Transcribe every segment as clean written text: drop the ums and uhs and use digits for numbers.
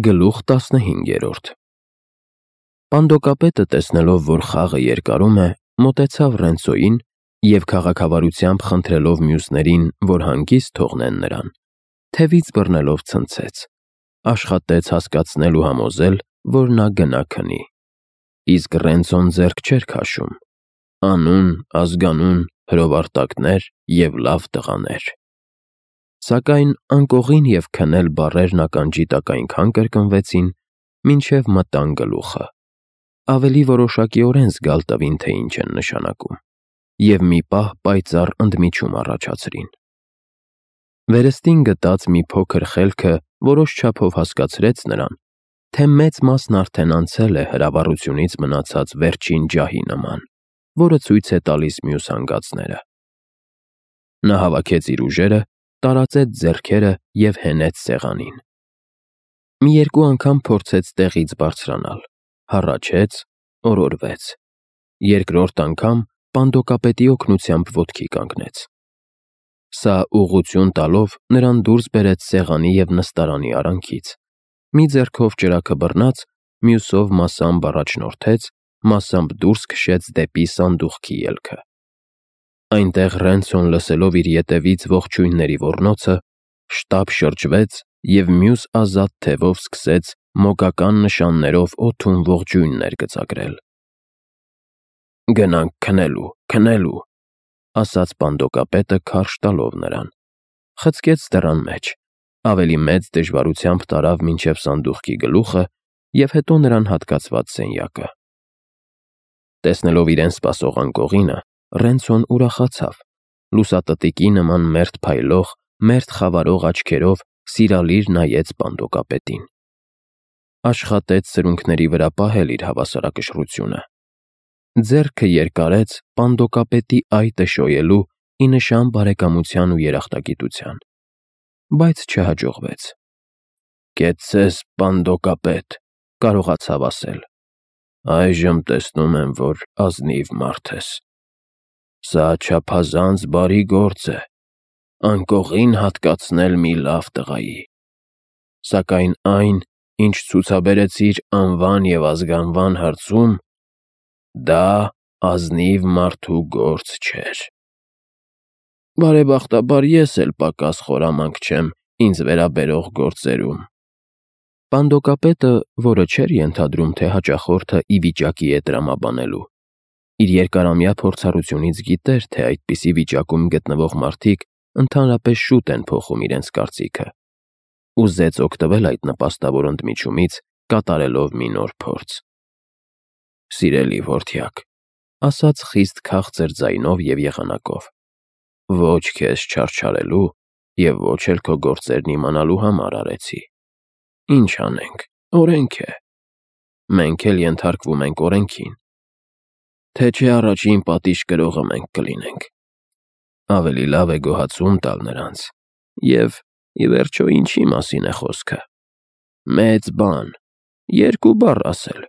Գլուխ 15 Պանդոկապետը տեսնելով, որ խաղը երկարում է, մոտեցավ Ռենցոյին և քաղաքավարությամբ խնդրելով մյուսներին, որ հանգիստ թողնեն նրան, թևից բռնելով ցնցեց, աշխատեց հասկացնել ու համոզել, որ նա գնա քնի, իսկ Ռենցոն ձեռք չէր քաշում, անուն, ազգանուն, հրովարտակներ և լավ տղաներ, սակայն անկողին և քնել բառերն ականջի տակ այնքան կրկնվեցին, մինչև մտան գլուխը, ավելի որոշակիորեն զգալ տվին, թե ինչ են նշանակում, և մի պահ պայծառ ընդմիջում առաջացրին. վերստին գտած մի փոքր խելքը որոշ չափով հասկացրեց նրան, թե մեծ մասն արդեն անցել է հրավառությունից մնացած վերջին ջահի նման, որը ցույց է տալիս մյուս հանգածները: Նա հավաքեց իր ուժերը, տարածեց ձեռքերը և հենեց սեղանին: Մի երկու անգամ փորձեց տեղից բարձրանալ, հառաչեց, օրորվեց, երկրորդ անգամ պանդոկապետի օգնությամբ ոտքի կանգնեց: Սա ուղղություն տալով նրան դուրս բերեց սեղանի և նստարանի արանքից, մի ձեռքով ճրագը բռնած, մյուսով մասամբ առաջնորդեց, մասամբ դուրս քշեց դեպի սանդուղքի ելքը: Այնտեղ Ռենցոն լսելով իր ետևից ողջույնների ոռնոցը, շտապ շրջվեց և մյուս ազատ թևով սկսեց մոգական նշաններով օդում ողջույններ գծագրել: «Գնանք քնելու», ասաց պանդոկապետը քարշ տալով նրան, խցկեց դռան մեջ, ավելի մեծ դժվարությամբ տարավ մինչև սանդուղքի գլուխը և հետո նրան հատկացված սենյակը: Տեսնելով իրեն սպասող անկողինը, Ռենցոն ուրախացավ, լուսատտիկի նման մերթ փայլող, մերթ խավարող աչքերով սիրալիր նայեց պանդոկապետին: Աշխատեց սրունքների վրա պահել իր հավասարակշռությունը, ձեռքը երկարեց պանդոկապետի այտը շոյելու ի նշան բարեկամության ու երախտագիտության, բայց չհաջողվեց: «Կեցցես, պանդոկապետ», կարողացավ ասել, «այժմ տեսնում եմ, որ ազնիվ մարդ ես: Սա չափազանց բարի գործ է, անկողին հատկացնել մի լավ տղայի: Սակայն այն, ինչ ցուցաբերեցիր անվան և ազգանվան հարցում, դա ազնիվ մարդու գործ չէր»: «Բարեբախտաբար ես էլ պակաս խորամանկ չեմ ինձ վերաբերող գործերում»: Պանդոկապետը, որը չէր ենթադրում, թե հաճախորդը ի վիճակի է տրամաբանելու, իր երկարամյա փորձառությունից գիտեր, թե այդպիսի վիճակում գտնվող մարդիկ ընդհանրապես շուտ են փոխում իրենց կարծիքը, ուզեց օգտվել այդ նպաստավոր ընդմիջումից, կատարելով մի նոր փորձ: «Սիրելի որդյակ», ասաց խիստ քաղցր ձայնով և եղանակով, «ոչ քեզ չարչարելու և ոչ էլ քո գործերն իմանալու համար արեցի: Ինչ անենք, օրենք է: Մենք էլ ենթարկվում ենք օրենքին: Թե չէ առաջին պատիժ կրողը մենք կլինենք: Ավելի լավ է գոհացում տալ նրանց: Եվ, ի վերջո, ինչի մասին է խոսքը: Մեծ բան, երկու բառ ասել: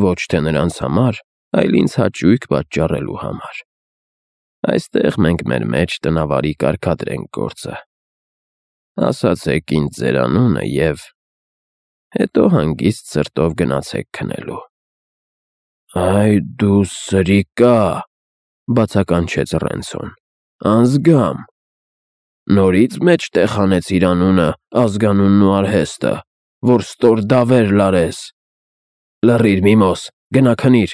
Ոչ թե նրանց համար, այլ ինձ հաճույք պատճառելու համար: Այստեղ մենք մեր մեջ տնավարի կարգադրենք գործը: Ասացեք ինձ ձեր անունը և հետո հանգիստ սրտով գնացեք քնելու»: «Այ դու սրիկա՜», բացականչեց Ռենցոն, «անձգամ: Նորից մեջտեղ հանեցիր անունը, ազգանունն ու արհեստը, որ ստոր դավեր լարես: Լռիր, միմոս, գնա քնիր»,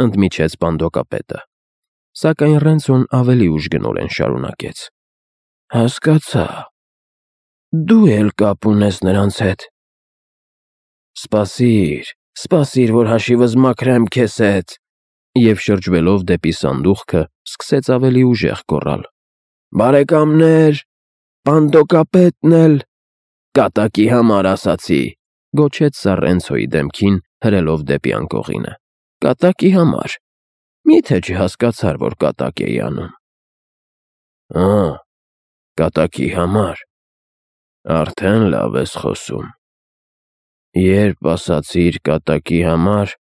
ընդմիջեց պանդոկապետը, սակայն Ռենցոն ավելի ուժգնորեն շարունակեց. «Հասկացա, դու էլ կապ ունես նրանց հետ: Սպասիր, որ հաշիվս մաքրեմ քեզ հետ»: Եվ շրջվելով դեպի սանդուղքը, սկսեց ավելի ուժեղ գոռալ. «Բարեկամներ, պանդոկապետն էլ, կատակի համար ասացի», գոչեց սա Ռենցոյի դեմքին, հրելով դեպի անկողինը, «կատակի համար, մի՞թե չհասկացար, որ կատակ էի անում»: Կատակի համար, արդեն լավ ես խոսում: Երբ ասացիր կատակի համար,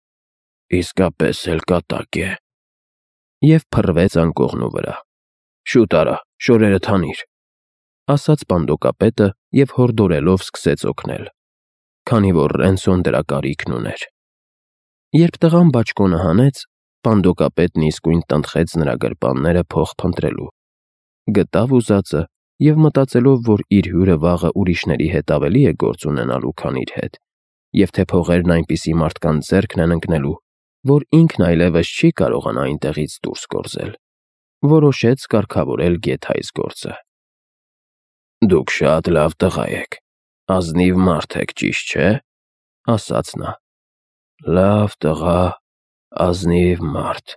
իսկապես էլ կատակ է: Եվ փռվեց անկողնու վրա: «Շուտ արա, շորերդ հանիր», ասաց պանդոկապետը և հորդորելով սկսեց օգնել: քանի որ Ռենսոն դրա կարիքն ուներ։ Երբ տղան բաճկոնը հանեց, պանդոկապետն իսկույն տնտղեց նրա գրպանները փող փնտրելու։ Գտավ ուզածը և մտածելով, որ իր հյուրը վաղը ուրիշների հետ ավելի է գործ ունենալու, քան իր հետ, և թե փողերն այնպիսի մարդկանց ձեռքն են ընկնելու, որ ինքն այլևս չի կարողանա այնտեղից դուրս գործել, որոշեց կարգավորել գեթ այս գործը։ «Դուք շատ լավ տղա եք, ազնիվ մարդ եք, ճիշտ չէ՞», ասաց նա։ «Լավ տղա, ազնիվ մարդ»,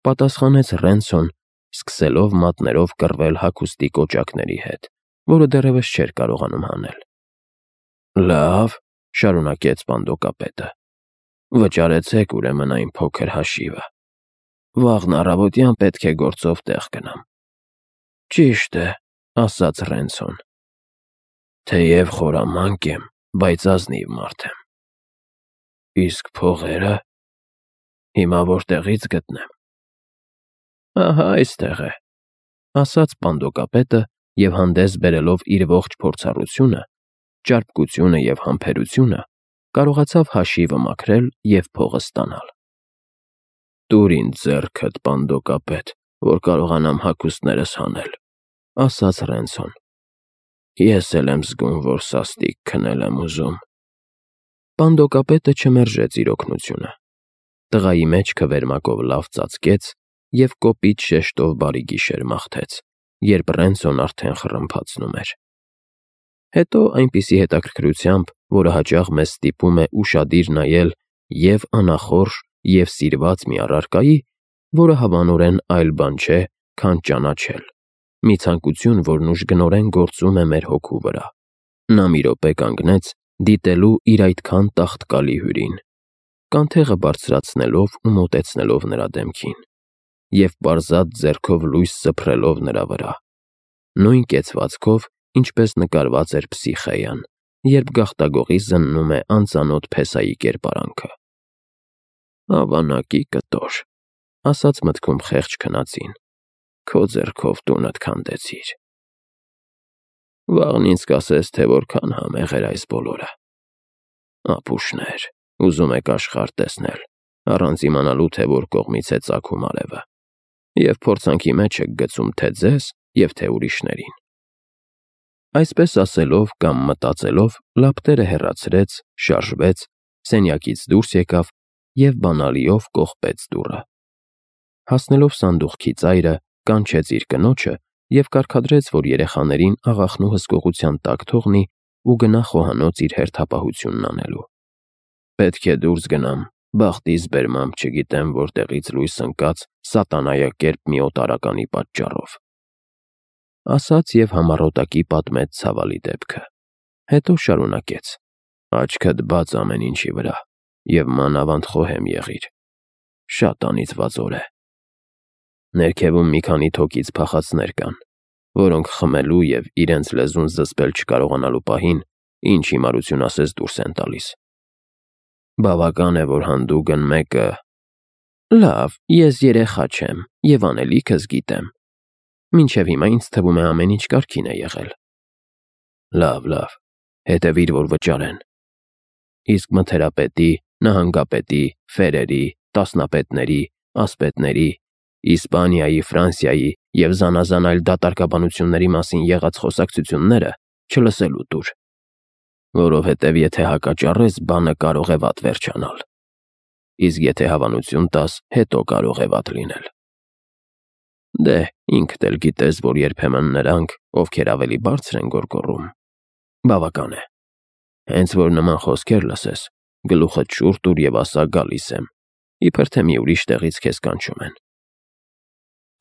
պատասխանեց Ռենսոն, սկսելով մատներով կռվել հագուստի կոճակների հետ, որը դեռևս չէր կարողանում հանել։ «Լավ», շարունակեց պանդոկապետը, «վճարեցեք ուրեմն այն փոքր հաշիվը։ Վաղն առավոտյան պետք է գործով տեղ գնամ»։ «Ճիշտ է», ասաց Ռենսոն, «թեև խորամանկ եմ, բայց ազնիվ մարդ եմ»։ «Իսկ փողերը, հիմա որտեղի՞ց գտնեմ»։ «Ահա այստեղ է», ասաց պանդոկապետը և հանդես բերելով իր ողջ փորձառությունը, ճարպկությունը և համբերությունը, կարողացավ հաշիվը մաքրել և փողը ստանալ։ «Տուր ինձ ձեռքդ, պանդոկապետ, որ կարողանամ հագուստներս հանել», ասաց Ռենսոն։ «Ես էլ եմ զգում, որ սաստիկ քնել եմ ուզում»։ Պանդոկապետը չմերժեց իր օգնությունը։ Տղայի մեջքը վերմակով լավ ծածկեց և կոպիտ շեշտով բարի գիշեր մաղթեց, երբ Ռենսոն արդեն խռմփացնում էր։ Հետո այնպիսի հետաքրքրությամբ, որը հաճախ մեզ ստիպում է ուշադիր նայել և անախորժ, և սիրված մի առարկայի, որը հավանորեն այլ բան չէ, քան ճանաչել, մի ցանկություն, որն ուժգնորեն գործում է մեր հոգու վրա, նա մի րոպե կանգնեց, դիտելու իր այդքան տաղտկալի հյուրին, կանթեղը բարձրացնելով ու մոտեցնելով նրա դեմքին, և պարզած ձեռքով լույս սփռելով նրա վրա, նույն կեցվածքով, ինչպես նկարված էր Փսիխեյան, երբ գաղտագողի զննում է անծանոթ փեսայի կերպարանքը։ «Ավանակի կտոր», ասաց մտքում խեղճ քնածին, «քո ձեռքով տունդ քանդեցիր»։ Վաղն ինձ կասես, թե որքան համեղ էր այս բոլորը։ Ապուշներ, ուզում եք աշխարհ տեսնել, առանց իմանալու, թե որ կողմից է ծագում արևը, և փորձանքի մեջ եք գցում թե ձեզ և թե ուրիշներին։ Այսպես ասելով կամ մտածելով, լապտերը հեռացրեց, շարժվեց, սենյակից դուրս եկավ և բանալիով կողպեց դուռը։ Հասնելով սանդուղքի ծայրը, կանչեց իր կնոջը և կարգադրեց, որ երեխաներին աղախնու հսկողության տակ թողնի ու գնա խոհանոց իր հերթապահությունն անելու։ «Պետք է դուրս գնամ, բախտիս բերմամբ չգիտեմ որտեղից լույս ընկած սատանայակերպ մի օտարականի պատճառով», ասաց և համառոտակի պատմեց ցավալի դեպքը։ Հետո շարունակեց. «Աչքդ բաց ամեն ինչի վրա, և մանավանդ խոհեմ եղիր։ Շատ անիծված օր է։ Ներքևում մի քանի թոկից փախածներ կան, որոնք խմելու և իրենց լեզուն զսպել չկարողանալու պահին, ինչ հիմարություն ասես դուրս են տալիս։ Բավական է, որ հանդուգն մեկը… Լավ, ես երեխա չեմ և անելիքս գիտեմ։ Մինչև հիմա ինձ թվում է ամեն ինչ կարգին է եղել։ Լավ, հետևիր, որ վճարեն։ Իսկ մթերապետի, նահանգապետի, ֆերերի, տասնապետների, ասպետների, Իսպանիայի, Ֆրանսիայի և զանազան այլ դատարկաբանությունների մասին եղած խոսակցությունները չլսելու տուր, որովհետև եթե հակաճառես, բանը կարող է վատ վերջանալ, իսկ եթե հավանություն տաս, հետո կարող է վատ լինել։ Դե, ինքդ էլ գիտես, որ երբեմն նրանք, ովքեր ավելի բարձր են գոռգոռում, բավական է։ Հենց որ նման խոսքեր լսես, գլուխդ շուռ տուր և ասա՝ գալիս եմ, իբր թե մի ուրիշ տեղից քեզ կանչում են։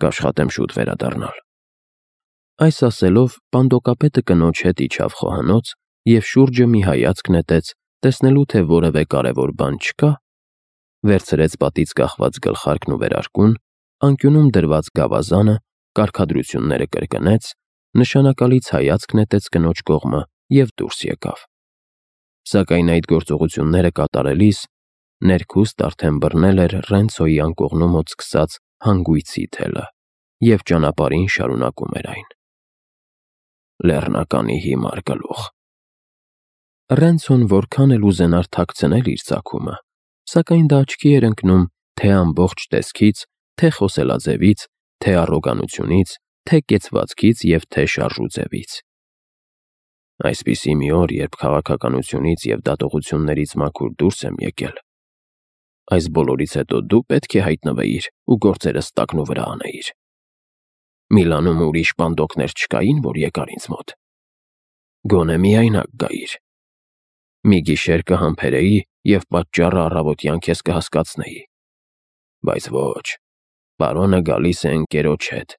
Կաշխատեմ շուտ վերադառնալ։ Այս ասելով, պանդոկապետը կնոջ հետ իջավ խոհանոց և շուրջը մի հայացք նետեց, տեսնելու, թե որևէ կարևոր բան չկա, վերցրեց պատից կախված գլխարկն ու վերարկուն, անկյունում դրված գավազանը, կարգադրությունները կրկնեց, նշանակալից հայացք նետեց կնոջ կողմը և դուրս եկավ։ Սակայն այդ գործողությունները կատարելիս ներքուստ արդեն բռնել էր Ռենցոյի անկողնու մոտ սկսած հանգույցի թելը և ճանապարհին շարունակում էր այն։ Լեռնականի հիմար գլուխ։ Ռենցոն որքան էլ ուզենար թաքցնել իր ծագումը, սակայն դա աչքի էր ընկնում թե ամբողջ տեսքից, թե խոսելաձևից, թե առոգանությունից, թե կեցվածքից և թե շարժուձևից։ Այսպիսի մի օր, երբ քաղաքականությունից և դատողություններից մաքուր դուրս եմ եկել, այս բոլորից հետո դու պետք է հայտնվեիր ու գործերս տակնու վրա անեիր։ Միլանում ուրիշ պանդոկներ չկային, որ եկար ինձ մոտ։ Գոնե միայնակ գայիր։ Մի գիշեր կհամբերեի և պատճառը առավոտյան քեզ կհասկացնեի։ Բայց ոչ, պարոնը գալիս է ընկերոջ հետ,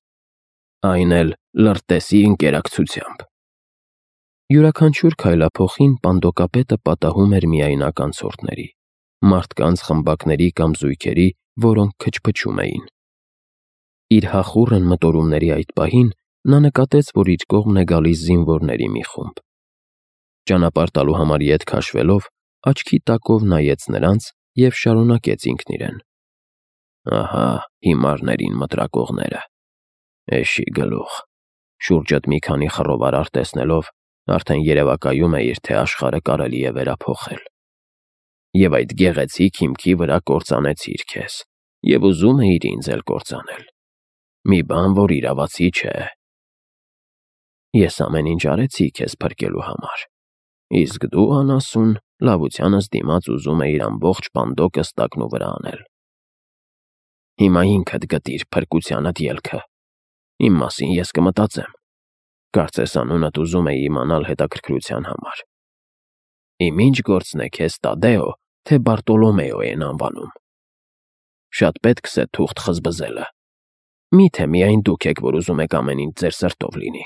այն էլ լրտեսի ընկերակցությամբ։ Յուրաքանչյուր քայլափոխին պանդոկապետը պատահում էր միայնակ անցորդների, մարդկանց խմբակների կամ զույգերի, որոնք քչփչում էին։ Իր հախուռն մտորումների այդ պահին նա նկատեց, որ իր կողմն է գալիս զինվորների մի խումբ։ Ճանապարհ տալու համար ետ քաշվելով, աչքի տակով նայեց նրանց և շարունակեց ինքն իրեն. «Ահա հիմարներին մտրակողները, էշի գլուխ»։ Շուրջդ մի քանի խռովարար տեսնելով, արդեն երևակայում էիր, թե աշխարհը կարելի է վերափոխել։ Եվ այդ գեղեցիկ հիմքի վրա կործանեցիր քեզ, և ուզում էիր ինձ էլ կործանել։ Մի բան, որ իրավացի չէ։ Ես ամեն ինչ արեցի քեզ փրկելու համար, իսկ դու, անասուն, լավությանս դիմաց ուզում էիր ամբողջ պանդոկս տակնու վրա անել։ Հիմա ինքդ գտիր փրկությանդ ելքը։ Իմ մասին ես կմտածեմ։ Կարծես անունդ ուզում էի իմանալ հետաքրքրության համար։ Իմ ինչ գործն է քեզ Տադեո, թե Բարտոլոմեո են անվանում։ Շատ պետք է թուղթ խզբզելը։ Միթե միայն դուք եք, որ ուզում եք ամեն ինչ ձեր սրտով լինի։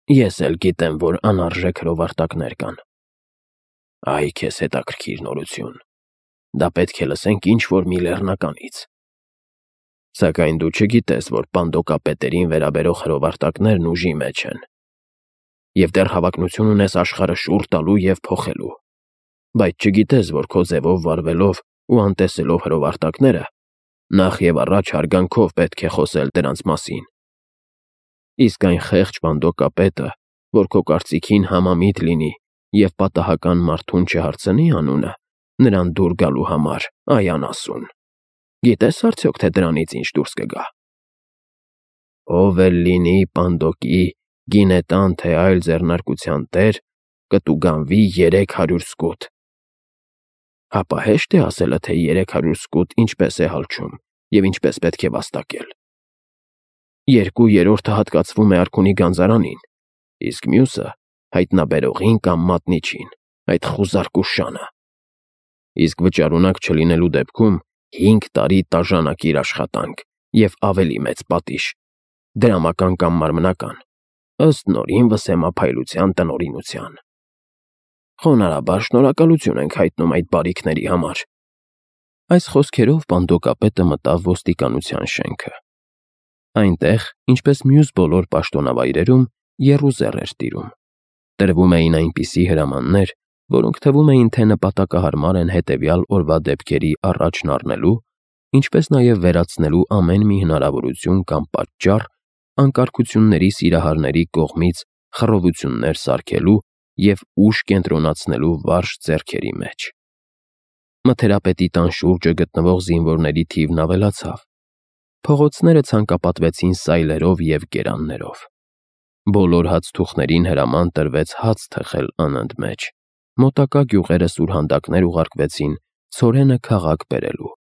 Ես էլ գիտեմ, որ անարժեք հրովարտակներ կան։ Այ քեզ հետաքրքիր նորություն։ Դա պետք է լսենք ինչ-որ մի լեռնականից։ Սակայն դու չգիտես, որ պանդոկապետերին վերաբերող հրովարտակներն ուժի մեջ են։ Եվ դեռ հավակնություն ունես աշխարհը շուռ տալու և փոխելու։ Բայց չգիտես, որ քո ձևով վարվելով ու անտեսելով հրովարտակները, նախ և առաջ հարգանքով պետք է խոսել դրանց մասին։ Իսկ այն խեղճ պանդոկապետը, որ քո կարծիքին համամիտ լինի և պատահական մարդուն չհարցնի անունը, նրան դուր գալու համար, այ անասուն, գիտես արդյոք, թե դրանից ինչ դուրս կգա։ Ով էլ լինի պանդոկի, գինետան թե այլ ձեռնարկության տեր, կտուգանվի 300 սկուտ։ Հապա հեշտ է ասելը, թե 300 սկուտ ինչպես է հալչում և ինչպես պետք է վաստակել։ 2/3 հատկացվում է արքունի գանձարանին, իսկ մյուսը հայտնաբերողին կամ մատնիչին, այդ խուզարկու շանը։ Իսկ վճարունակ չլինելու դեպքում 5 տարի տաժանակիր աշխատանք և ավելի մեծ պատիժ, դրամական կամ մարմնական, ըստ նորին վսեմափայլության տնօրինության։ Խոնարհաբար շնորհակալություն ենք հայտնում այդ բարիքների համար։ Այս խոսքերով պանդոկապետը մտավ ոստիկանության շենքը։ Այնտեղ, ինչպես մյուս բոլոր պաշտոնավայրերում, եռուզեռ էր տիրում։ Տրվում էին այնպիսի հրամաններ, որոնք թվում էին, թե նպատակահարմար են հետևյալ օրվա դեպքերի առաջն առնելու, ինչպես նաև վերացնելու ամեն մի հնարավորություն կամ պատճառ անկարգությունների սիրահարների կողմից խռովություններ սարքելու և ուժ կենտրոնացնելու վարժ ձեռքերի մեջ։ Մթերապետի տան շուրջը գտնվող զինվորների թիվն ավելացավ։ Փողոցները ցանկապատվեցին սայլերով և գերաններով։ Բոլոր հացթուխներին հրաման տրվեց հաց թխել անընդմեջ։ Մոտակա գյուղերը սուրհանդակներ ուղարկվեցին ցորենը քաղաք բերելու։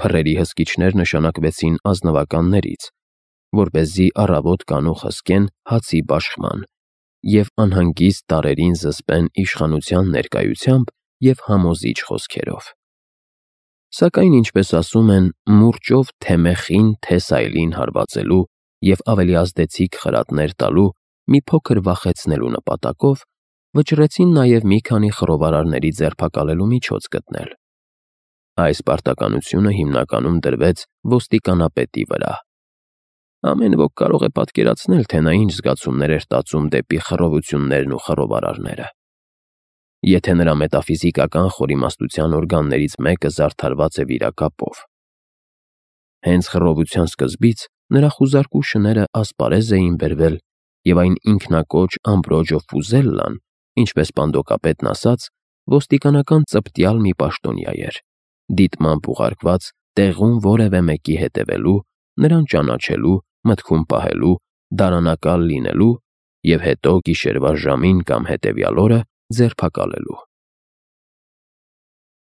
Փռերի հսկիչներ նշանակվեցին ազնվականներից, որպեսզի առավոտ կանուխ հսկեն հացի բաշխման և անհանգիստ տարրերին զսպեն իշխանության ներկայությամբ և համոզիչ խոսքերով։ Սակայն, ինչպես ասում են, մուրճով թե մեխին, թե սայլին հարվածելու և ավելի ազդեցիկ խրատներ տալու, մի փոքր վախեցնելու նպատակով, վճռեցին նաև մի քանի խռովարարների ձերբակալելու միջոց գտնել։ Այս պարտականությունը հիմնականում դրվեց ոստիկանապետի վրա։ Ամեն ոք կարող է պատկերացնել, թե նա ինչ զգացումներ էր տածում դեպի խռովություններն ու խռովարարները։ Եթե նրա մետաֆիզիկական խորիմաստության օրգաններից մեկը զարդարված է վիրակապով։ Հենց խռովության սկզբից նրա խուզարկու շները ասպարեզ էին բերվել և այն ինքնակոչ Ամբրոջո Ֆուզելլան ինչպես պանդոկապետն ասաց, ոստիկանական ծպտյալ մի պաշտոնյա էր, դիտմամբ ուղարկված տեղում որևէ մեկի հետևելու, նրան ճանաչելու, մտքում պահելու, դարանակալ լինելու և հետո գիշերվա ժամին կամ հետևյալ օրը ձերբակալելու։